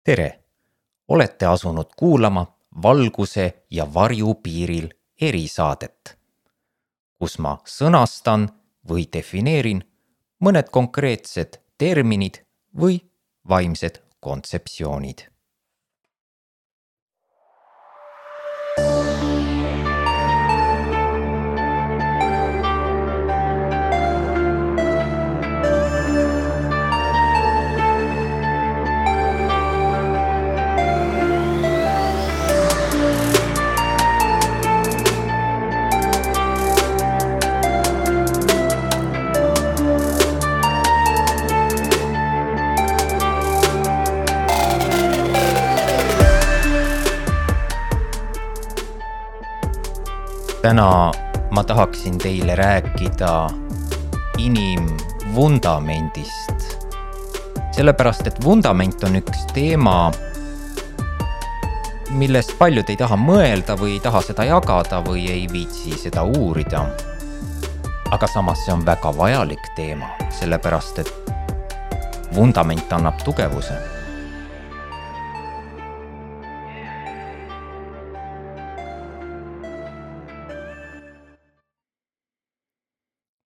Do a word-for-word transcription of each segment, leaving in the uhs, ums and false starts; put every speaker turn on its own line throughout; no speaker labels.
Tere! Olete asunud kuulama valguse ja varju piiril erisaadet, kus ma sõnastan või defineerin mõned konkreetsed terminid või vaimsed kontseptsioonid. Täna ma tahaksin teile rääkida inimvundamendist, sellepärast et vundament on üks teema, millest paljud ei taha mõelda või ei taha seda jagada või ei viitsi seda uurida. Aga samas see on väga vajalik teema, sellepärast et vundament annab tugevuse.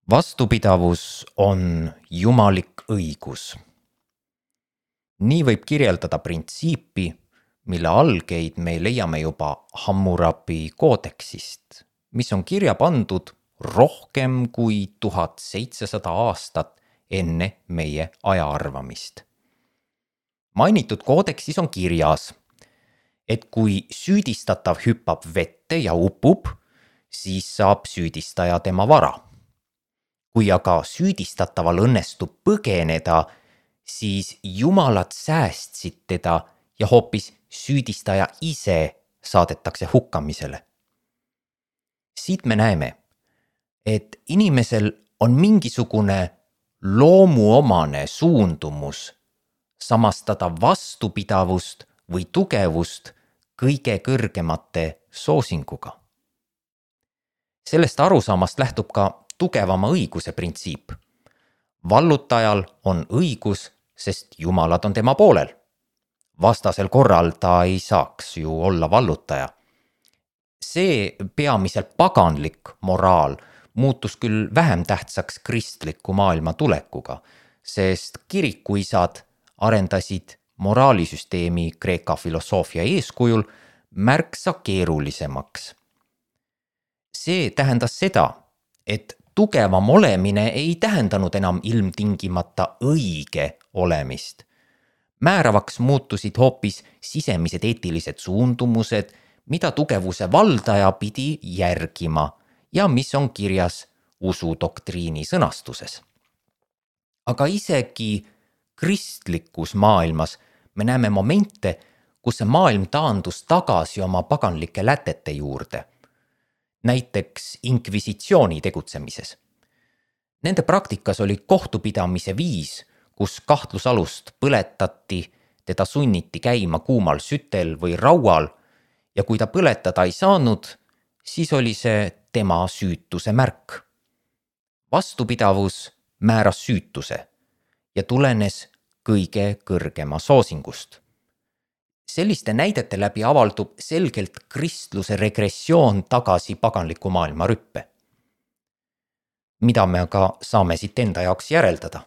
Vastupidavus on jumalik õigus. Nii võib kirjeldada printsiipi, mille algeid me leiame juba Hammurabi koodeksist, mis on kirja pandud rohkem kui tuhat seitsesada aastat enne meie ajaarvamist. Mainitud koodeksis on kirjas, et kui süüdistatav hüppab vette ja upub, siis saab süüdistaja tema vara. Kui aga süüdistataval õnnestub põgeneda, siis jumalad säästsid teda ja hoopis süüdistaja ise saadetakse hukkamisele. Siit me näeme, et inimesel on mingisugune loomuomane suundumus samastada vastupidavust või tugevust kõige kõrgemate soosinguga. Sellest arusaamast lähtub ka tugevama õiguse printsiip. Vallutajal on õigus, sest jumalad on tema poolel. Vastasel korral ta ei saaks ju olla vallutaja. See peamiselt paganlik moraal muutus küll vähem tähtsaks kristliku maailma tulekuga, sest kirikuisad arendasid moraalisüsteemi Kreeka filosoofia eeskujul märksa keerulisemaks. See tähendas seda, et tugevam olemine ei tähendanud enam ilmtingimata õige olemist. Määravaks muutusid hoopis sisemised eetilised suundumused, mida tugevuse valdaja pidi järgima ja mis on kirjas usudoktriini sõnastuses. Aga isegi kristlikus maailmas me näeme momente, kus see maailm taandus tagasi oma paganlike lätete juurde. Näiteks inkvisitsiooni tegutsemises. Nende praktikas oli kohtupidamise viis, kus kahtlusalust põletati, teda sunniti käima kuumal sütel või raual ja kui ta põletada ei saanud, siis oli see tema süütuse märk. Vastupidavus määras süütuse ja tulenes kõige kõrgema soosingust. Selliste näidete läbi avaldub selgelt kristluse regressioon tagasi paganliku maailma rüppe. Mida me aga saame siit enda jaoks järeldada?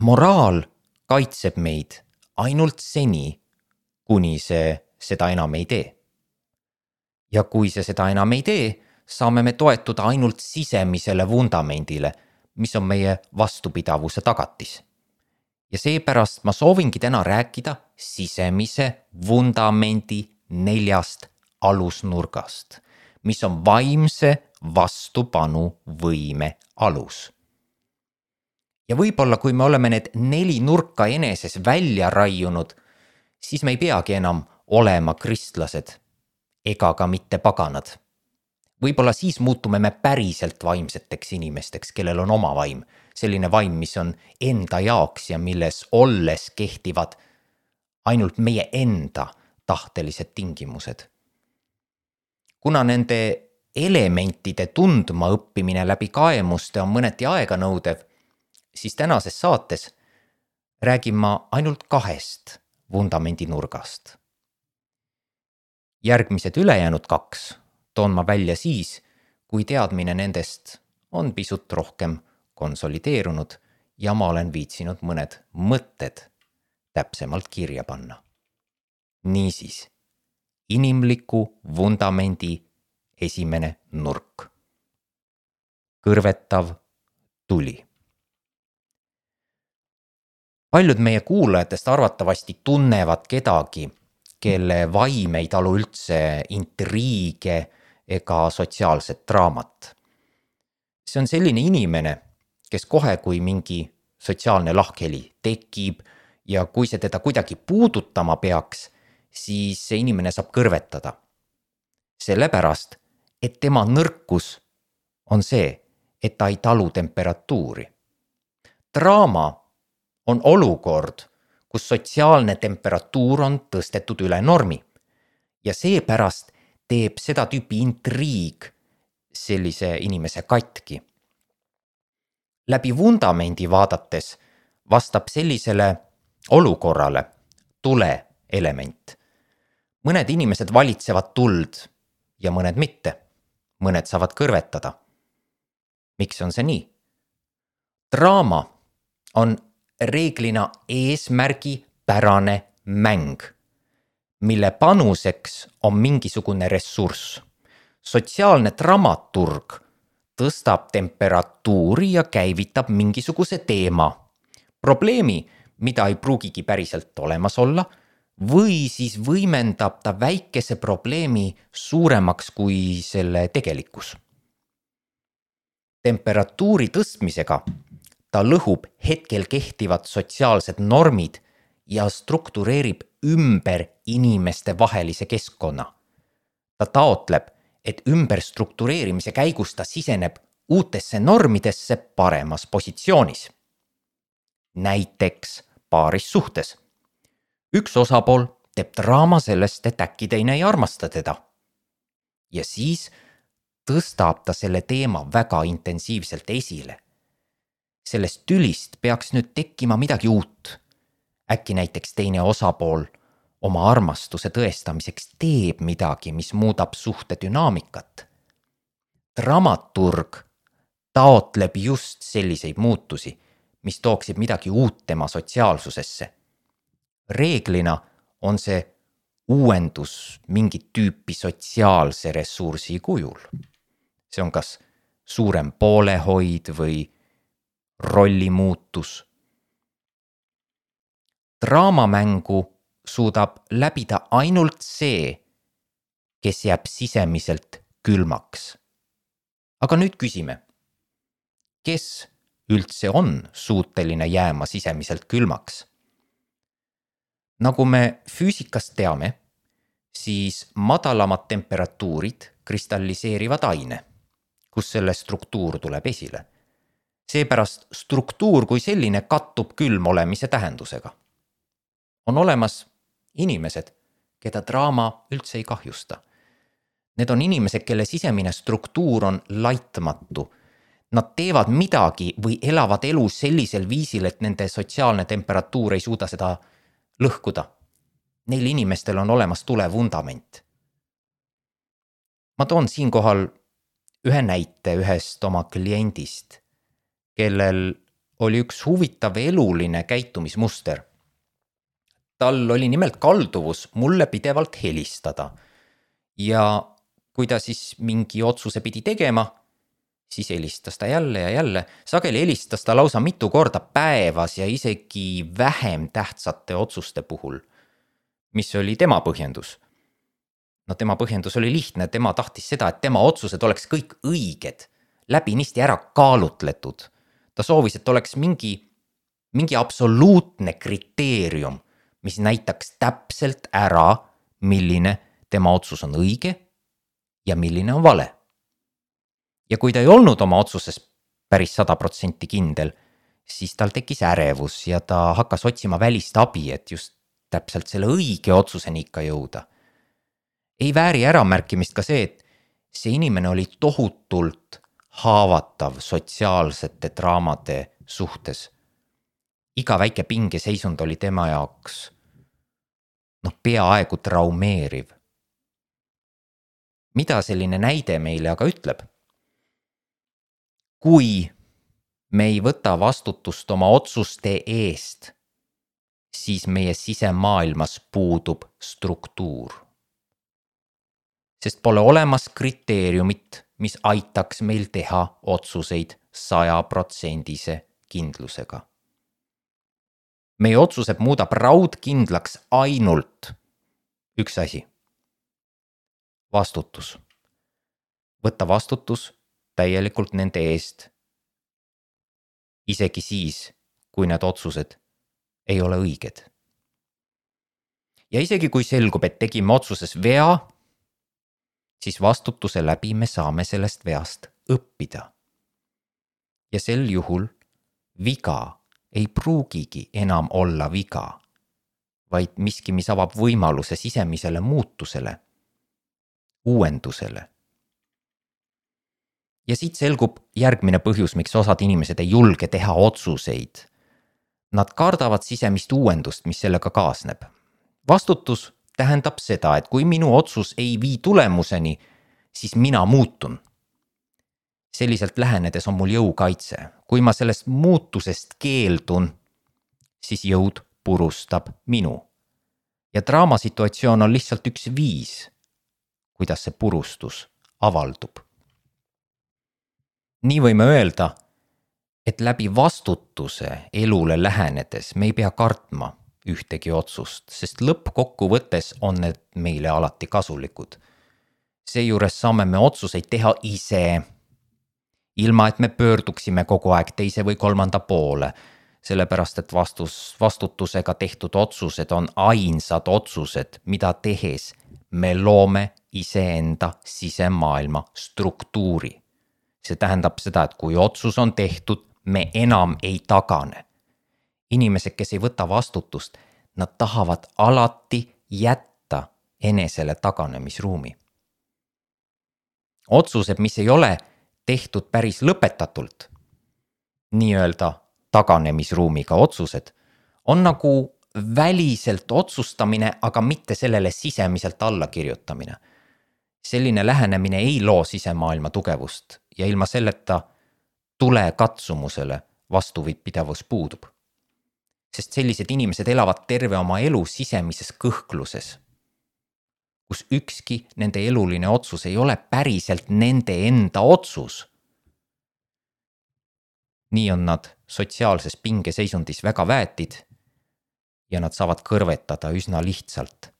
Moraal kaitseb meid ainult seni, kuni see seda enam ei tee. Ja kui see seda enam ei tee, saame me toetuda ainult sisemisele vundamendile, mis on meie vastupidavuse tagatis. Ja seepärast ma soovingi täna rääkida sisemise vundamendi neljast alusnurgast, mis on vaimse vastupanu võime alus. Ja võib-olla kui me oleme need neli nurka eneses välja raiunud, siis me ei peagi enam olema kristlased ega ka mitte paganad. Võib-olla siis muutume me päriselt vaimseteks inimesteks, kellel on oma vaim. Selline vaim, mis on enda jaoks ja milles olles kehtivad ainult meie enda tahtelised tingimused. Kuna nende elementide tundma õppimine läbi kaemuste on mõneti aeganõudev, siis tänases saates räägin ma ainult kahest vundamendi nurgast. Järgmised ülejäänud kaks toon ma välja siis, kui teadmine nendest on pisut rohkem konsolideerunud ja ma olen viitsinud mõned mõtted täpsemalt kirja panna. Niisiis, inimliku vundamendi esimene nurk. Kõrvetav tuli. Paljud meie kuulajatest arvatavasti tunnevad kedagi, kelle vaim ei talu üldse intriige ega sotsiaalset draamat. See on selline inimene, kes kohe, kui mingi sotsiaalne lahkheli tekib ja kui see teda kuidagi puudutama peaks, siis see inimene saab kõrvetada. Sellepärast, et tema nõrkus on see, et ta ei talu temperatuuri. Draama on olukord, kus sotsiaalne temperatuur on tõstetud üle normi ja seepärast teeb seda tüüpi intriig sellise inimese katki. Läbi vundamendi vaadates vastab sellisele olukorrale tule element. Mõned inimesed valitsevad tuld ja mõned mitte. Mõned saavad kõrvetada. Miks on see nii? Draama on reeglina eesmärgipärane mäng, mille panuseks on mingisugune ressurss. Sotsiaalne dramaturg tõstab temperatuuri ja käivitab mingisuguse teema, probleemi, mida ei pruugigi päriselt olemas olla, või siis võimendab ta väikese probleemi suuremaks kui selle tegelikkus. Temperatuuri tõstmisega ta lõhub hetkel kehtivad sotsiaalsed normid ja struktureerib ümber inimeste vahelise keskkonna. Ta taotleb, et ümberstruktureerimise käigus ta siseneb uutesse normidesse paremas positsioonis. Näiteks paaris suhtes. Üks osapool teeb draama sellest, et äkki teine ei armasta teda. Ja siis tõstab ta selle teema väga intensiivselt esile. Sellest tülist peaks nüüd tekkima midagi uut. Äkki näiteks teine osapool oma armastuse tõestamiseks teeb midagi, mis muudab suhte dünaamikat. Dramaturg taotleb just selliseid muutusi, mis tooksid midagi uut tema sotsiaalsusesse. Reeglina on see uuendus mingit tüüpi sotsiaalse ressursi kujul. See on kas suurem poolehoid või rollimuutus. Draamamängu suudab läbida ainult see, kes jääb sisemiselt külmaks. Aga nüüd küsime, kes üldse on suuteline jääma sisemiselt külmaks? Nagu me füüsikast teame, siis madalamad temperatuurid kristalliseerivad aine, kus selle struktuur tuleb esile. Seepärast struktuur kui selline kattub külm olemise tähendusega. On olemas inimesed, keda draama üldse ei kahjusta. Need on inimesed, kelle sisemine struktuur on laitmatu. Nad teevad midagi või elavad elu sellisel viisil, et nende sotsiaalne temperatuur ei suuda seda lõhkuda. Neil inimestel on olemas tule vundament. Ma toon siinkohal ühe näite ühest oma kliendist, kellel oli üks huvitav eluline käitumismuster. Tal oli nimelt kalduvus mulle pidevalt helistada ja kui ta siis mingi otsuse pidi tegema, siis helistas ta jälle ja jälle. Sageli helistas ta lausa mitu korda päevas ja isegi vähem tähtsate otsuste puhul, mis oli tema põhjendus. No tema põhjendus oli lihtne, tema tahtis seda, et tema otsused oleks kõik õiged, läbinisti ära kaalutletud. Ta soovis, et oleks mingi, mingi absoluutne kriteerium, mis näitaks täpselt ära, milline tema otsus on õige ja milline on vale. Ja kui ta ei olnud oma otsuses päris sada protsenti kindel, siis tal tekkis ärevus ja ta hakkas otsima välist abi, et just täpselt selle õige otsuseni ikka jõuda. Ei vääri äramärkimist ka see, et see inimene oli tohutult haavatav sotsiaalsete draamade suhtes. Iga väike pingeseisund oli tema jaoks noh, peaaegu traumeeriv. Mida selline näide meile aga ütleb? Kui me ei võta vastutust oma otsuste eest, siis meie sisemaailmas puudub struktuur. Sest pole olemas kriteeriumit, mis aitaks meil teha otsuseid sajaprotsendise kindlusega. Meie otsused muudab raudkindlaks ainult üks asi. Vastutus. Võtta vastutus täielikult nende eest, isegi siis, kui need otsused ei ole õiged. Ja isegi kui selgub, et tegime otsuses vea, siis vastutuse läbi me saame sellest veast õppida. Ja sel juhul viga ei pruugigi enam olla viga, vaid miski, mis avab võimaluse sisemisele muutusele, uuendusele. Ja siit selgub järgmine põhjus, miks osad inimesed ei julge teha otsuseid. Nad kardavad sisemist uuendust, mis sellega kaasneb. Vastutus tähendab seda, et kui minu otsus ei vii tulemuseni, siis mina muutun. Selliselt lähenedes on mul jõukaitse. Kui ma sellest muutusest keeldun, siis jõud purustab minu. Ja draamasituatsioon on lihtsalt üks viis, kuidas see purustus avaldub. Nii võime öelda, et läbi vastutuse elule lähenedes me ei pea kartma ühtegi otsust, sest lõppkokkuvõttes on need meile alati kasulikud. Seejuures saame me otsuseid teha ise, ilma et me pöörduksime kogu aeg teise või kolmanda poole, sellepärast et vastus, vastutusega tehtud otsused on ainsad otsused, mida tehes me loome iseenda sisemaailma struktuuri. See tähendab seda, et kui otsus on tehtud, me enam ei tagane. Inimesed, kes ei võta vastutust, nad tahavad alati jätta enesele taganemisruumi. Otsused, mis ei ole tehtud päris lõpetatult, nii-öelda taganemisruumiga otsused, on nagu väliselt otsustamine, aga mitte sellele sisemiselt alla kirjutamine. Selline lähenemine ei loo sisemaailma tugevust ja ilma selleta tule katsumusele vastupidavus puudub. Sest sellised inimesed elavad terve oma elu sisemises kõhkluses, kus ükski nende eluline otsus ei ole päriselt nende enda otsus. Nii on nad sotsiaalses pingeseisundis väga väetid ja nad saavad kõrvetada üsna lihtsalt.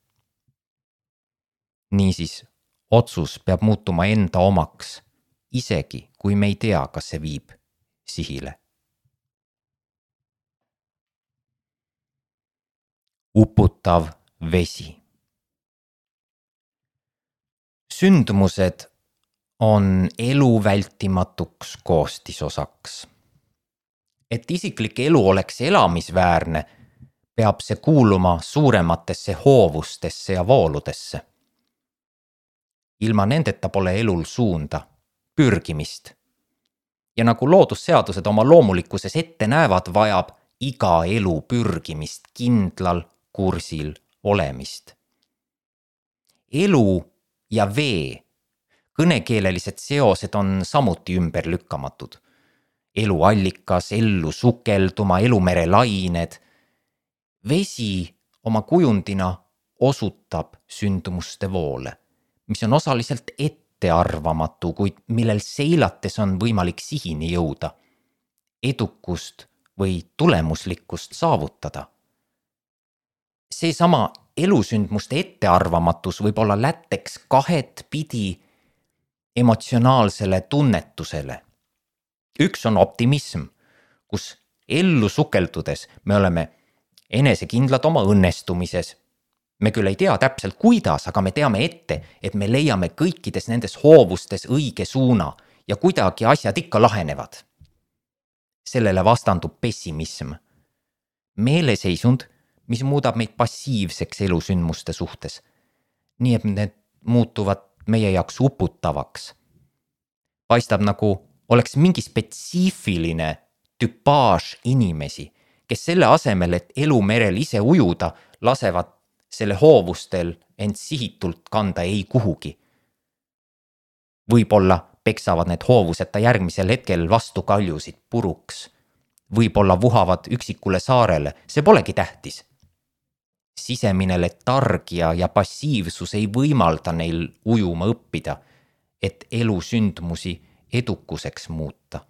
Niisiis, otsus peab muutuma enda omaks, isegi kui me ei tea, kas see viib sihile. Uputav vesi. Sündmused on elu vältimatuks koostisosaks. Et isiklik elu oleks elamisväärne, peab see kuuluma suurematesse hoovustesse ja vooludesse. Ilma nendeta pole elul suunda, pürgimist. Ja nagu loodusseadused oma loomulikkuses ette näevad, vajab iga elu pürgimist, kindlal kursil olemist. Elu ja vee kõnekeelelised seosed on samuti ümberlükkamatud. Elu allikas, ellu sukelduma, elumere lained. Vesi oma kujundina osutab sündmuste voole, mis on osaliselt ettearvamatu, kuid millel seilates on võimalik sihini jõuda, edukust või tulemuslikkust saavutada. Seesama elusündmuste ettearvamatus võib olla lätteks kahet pidi emotsionaalsele tunnetusele. Üks on optimism, kus ellu sukeldudes me oleme enesekindlad oma õnnestumises. Me küll ei tea täpselt kuidas, aga me teame ette, et me leiame kõikides nendes hoovustes õige suuna ja kuidagi asjad ikka lahenevad. Sellele vastandub pessimism. Meeleseisund, mis muudab meid passiivseks elusündmuste suhtes. Nii et need muutuvad meie jaoks uputavaks. Paistab nagu oleks mingi spetsiifiline tüpaaž inimesi, kes selle asemel, et elumerel ise ujuda, lasevad selle hoovustel end sihitult kanda ei kuhugi. Võib-olla peksavad need hoovused ta järgmisel hetkel vastu kaljusid puruks. Võib-olla vuhavad üksikule saarele, see polegi tähtis. Sisemine letargia ja passiivsus ei võimalda neil ujuma õppida, et elu sündmusi edukuseks muuta.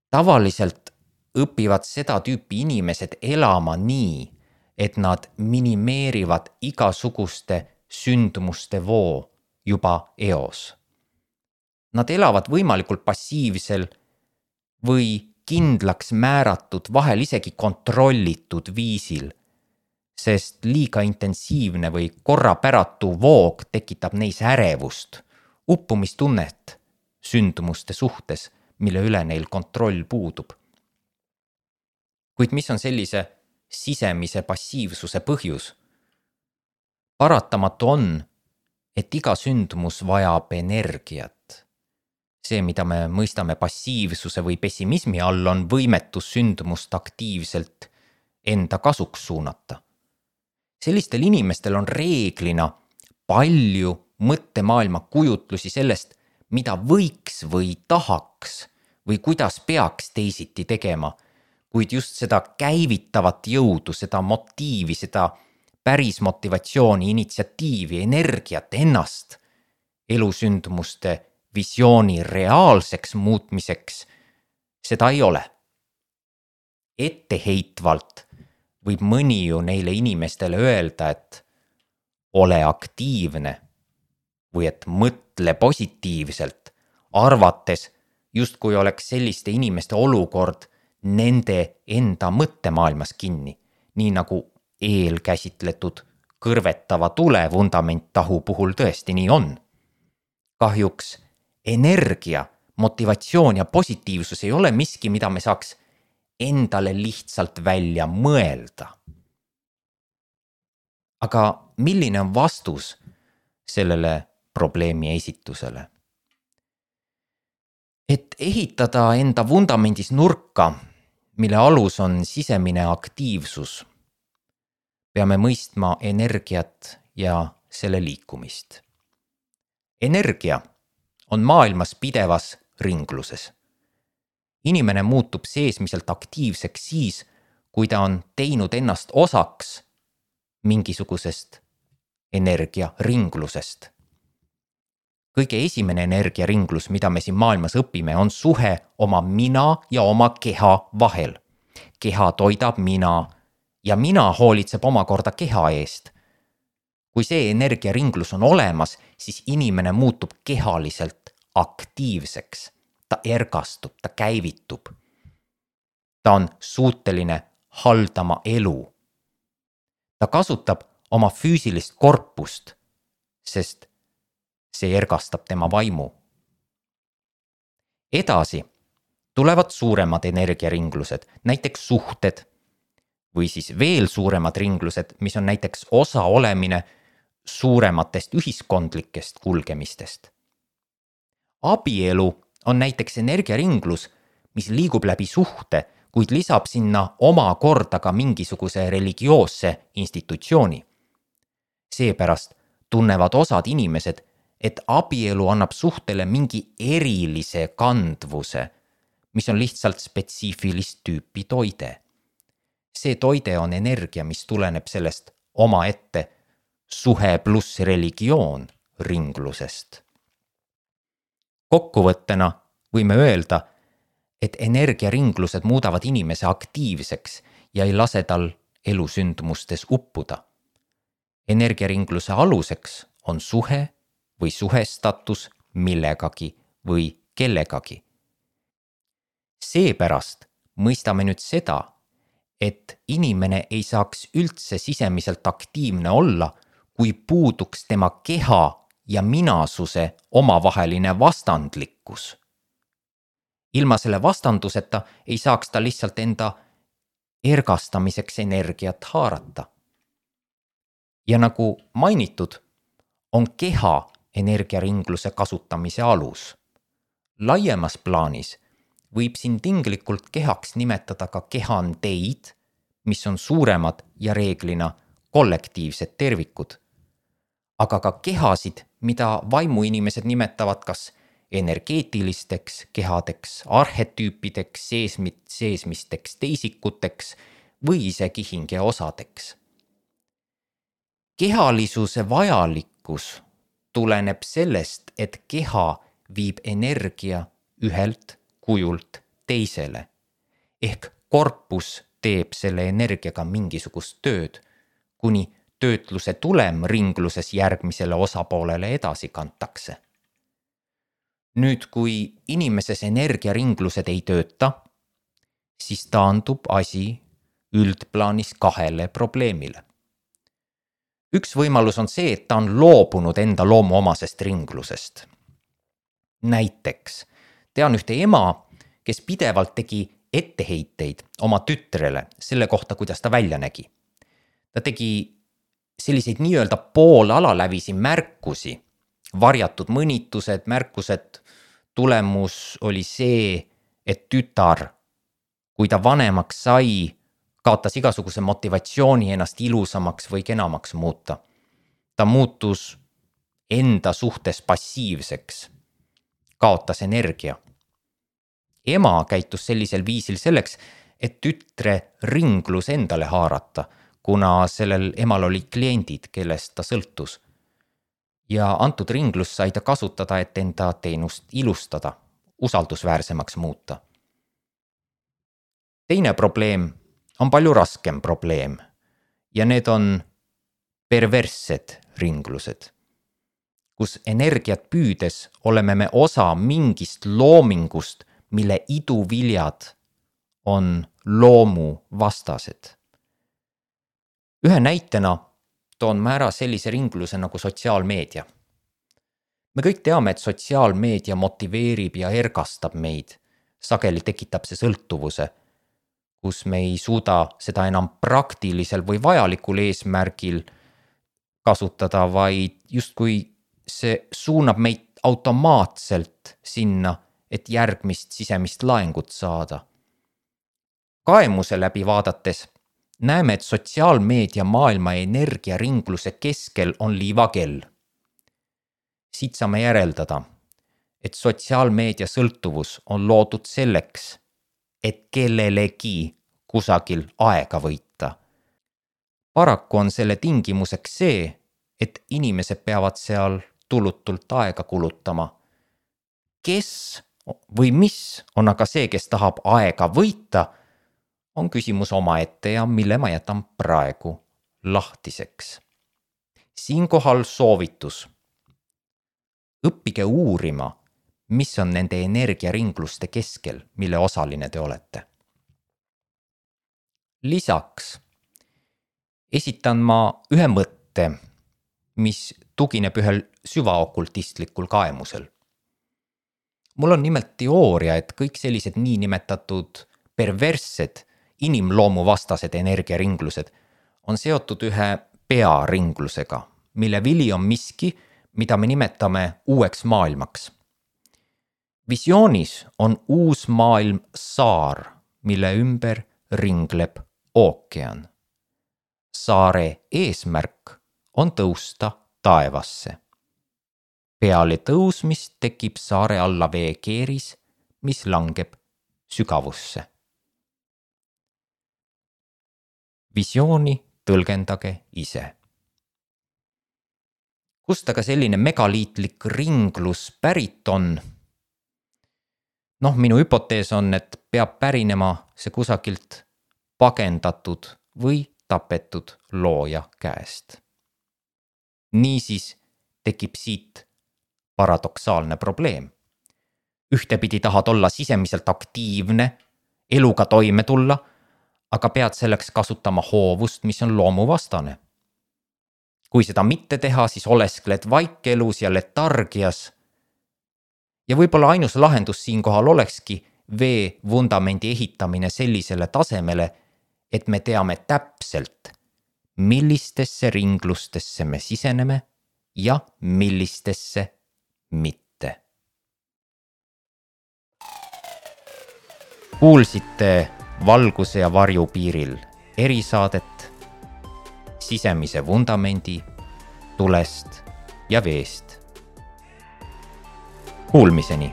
Tavaliselt õpivad seda tüüpi inimesed elama nii, et nad minimeerivad igasuguste sündmuste voo juba eos. Nad elavad võimalikult passiivsel või kindlaks määratud, vahel isegi kontrollitud viisil, sest liiga intensiivne või korrapäratu voog tekitab neis ärevust, uppumistunnet sündmuste suhtes, mille üle neil kontroll puudub. Kuid mis on sellise sisemise passiivsuse põhjus? Paratamatu on, et iga sündmus vajab energiat. See, mida me mõistame passiivsuse või pessimismi all, on võimetus sündmust aktiivselt enda kasuks suunata. Sellistel inimestel on reeglina palju mõttemaailma kujutlusi sellest, mida võiks või tahaks või kuidas peaks teisiti tegema, kuid just seda käivitavat jõudu, seda motiivi, seda päris motivatsiooni, initsiatiivi, energiat ennast elusündmuste visiooni reaalseks muutmiseks, seda ei ole. Etteheitvalt võib mõni ju neile inimestele öelda, et ole aktiivne või et mõtle positiivselt, arvates justkui oleks selliste inimeste olukord nende enda mõttemaailmas kinni, nii nagu eelkäsitletud kõrvetava tule vundamenttahu puhul tõesti nii on. Kahjuks energia, motivatsioon ja positiivsus ei ole miski, mida me saaks endale lihtsalt välja mõelda. Aga milline on vastus sellele probleemi esitusele? Et ehitada enda vundamendis nurka, mille alus on sisemine aktiivsus, peame mõistma energiat ja selle liikumist. Energia on maailmas pidevas ringluses. Inimene muutub seesmiselt aktiivseks siis, kui ta on teinud ennast osaks mingisugusest energiaringlusest. Kõige esimene energiaringlus, mida me siin maailmas õpime, on suhe oma mina ja oma keha vahel. Keha toidab mina ja mina hoolitseb omakorda keha eest. Kui see energiaringlus on olemas, siis inimene muutub kehaliselt aktiivseks. Ta ergastub, ta käivitub. Ta on suuteline haldama elu. Ta kasutab oma füüsilist korpust, sest see ergastab tema vaimu. Edasi tulevad suuremad energiaringlused, näiteks suhted, või siis veel suuremad ringlused, mis on näiteks osa olemine suurematest ühiskondlikest kulgemistest. Abielu on näiteks energiaringlus, mis liigub läbi suhte, kuid lisab sinna oma korda ka mingisuguse religioosse institutsiooni. Seepärast tunnevad osad inimesed, et abielu annab suhtele mingi erilise kandvuse, mis on lihtsalt spetsiifilist tüüpi toide. See toide on energia, mis tuleneb sellest omaette suhe pluss religioon ringlusest. Kokkuvõttena võime öelda, et energiaringlused muudavad inimese aktiivseks ja ei lase tal elusündmustes uppuda. Energiaringluse aluseks on suhe või suhestatus millegagi või kellegagi. Seepärast mõistame nüüd seda, et inimene ei saaks üldse sisemiselt aktiivne olla, kui puuduks tema keha ja minasuse omavaheline vastandlikkus. Ilma selle vastanduseta ei saaks ta lihtsalt enda ergastamiseks energiat haarata. Ja nagu mainitud, on keha energiaringluse kasutamise alus. Laiemas plaanis võib siin tinglikult kehaks nimetada ka kehandeid, mis on suuremad ja reeglina kollektiivsed tervikud, aga ka kehasid, mida vaimuinimesed nimetavad kas energeetilisteks kehadeks, arhetüüpideks, seesmit, seesmisteks teisikuteks või isegi hingeosadeks. Kehalisuse vajalikkus tuleneb sellest, et keha viib energia ühelt kujult teisele, ehk korpus teeb selle energiaga mingisugust tööd, kuni töötluse tulem ringluses järgmisele osapoolele edasi kantakse. Nüüd, kui inimeses energiaringlused ei tööta, siis taandub asi üldplaanis kahele probleemile. Üks võimalus on see, et ta on loobunud enda loomuomasest ringlusest. Näiteks tean ühte ema, kes pidevalt tegi etteheiteid oma tütrele selle kohta, kuidas ta välja nägi. Ta tegi selliseid nii-öelda poolalalävisi märkusi, varjatud mõnitused, märkused, tulemus oli see, et tütar, kui ta vanemaks sai, kaotas igasuguse motivatsiooni ennast ilusamaks või kenamaks muuta. Ta muutus enda suhtes passiivseks, kaotas energia. Ema käitus sellisel viisil selleks, et tütre ringlus endale haarata, kuna sellel emal oli kliendid, kellest ta sõltus. Ja antud ringlus sai ta kasutada, et enda teenust ilustada, usaldusväärsemaks muuta. Teine probleem on palju raskem probleem ja need on perverssed ringlused, kus energiat püüdes oleme me osa mingist loomingust, mille iduviljad on loomu vastased. Ühe näitena toon ma ära sellise ringluse nagu sotsiaalmeedia. Me kõik teame, et sotsiaalmeedia motiveerib ja ergastab meid. Sageli tekitab see sõltuvuse, kus me ei suuda seda enam praktilisel või vajalikul eesmärgil kasutada, vaid justkui see suunab meid automaatselt sinna, et järgmist sisemist laengut saada. Kaemuse läbi vaadates näeme, et sotsiaalmeedia maailma energiaringluse keskel on liivakell. Siit saame järeldada, et sotsiaalmeedia sõltuvus on loodud selleks, et kellelegi kusagil aega võita. Paraku on selle tingimuseks see, et inimesed peavad seal tulutult aega kulutama. Kes või mis on aga see, kes tahab aega võita, on küsimus omaette ja mille ma jätan praegu lahtiseks. Siinkohal soovitus. Õppige uurima, mis on nende energiaringluste keskel, mille osaline te olete. Lisaks esitan ma ühe mõtte, mis tugineb ühel süvaokultistlikul kaemusel. Mul on nimelt teooria, et kõik sellised niinimetatud perverssed inimloomu vastased energiaringlused on seotud ühe pearinglusega, mille vili on miski, mida me nimetame uueks maailmaks. Visioonis on uus maailm saar, mille ümber ringleb ookean. Saare eesmärk on tõusta taevasse. Peale tõusmist tekib saare alla veekeeris, mis langeb sügavusse. Visiooni tõlgendage ise. Kust aga selline megaliitlik ringlus pärit on? Noh, minu hüpotees on, et peab pärinema see kusagilt pagendatud või tapetud looja käest. Niisiis tekib siit paradoksaalne probleem. Ühtepidi tahad olla sisemiselt aktiivne, eluga toime tulla, aga pead selleks kasutama hoovust, mis on loomuvastane. Kui seda mitte teha, siis oleskled vaikelus ja letargias. Ja võib-olla ainus lahendus siinkohal olekski vee vundamendi ehitamine sellisele tasemele, et me teame täpselt, millistesse ringlustesse me siseneme ja millistesse mitte. Kuulsite Valguse ja varju piiril erisaadet. sisemise vundamendi tulest ja veest. Kuulmiseni!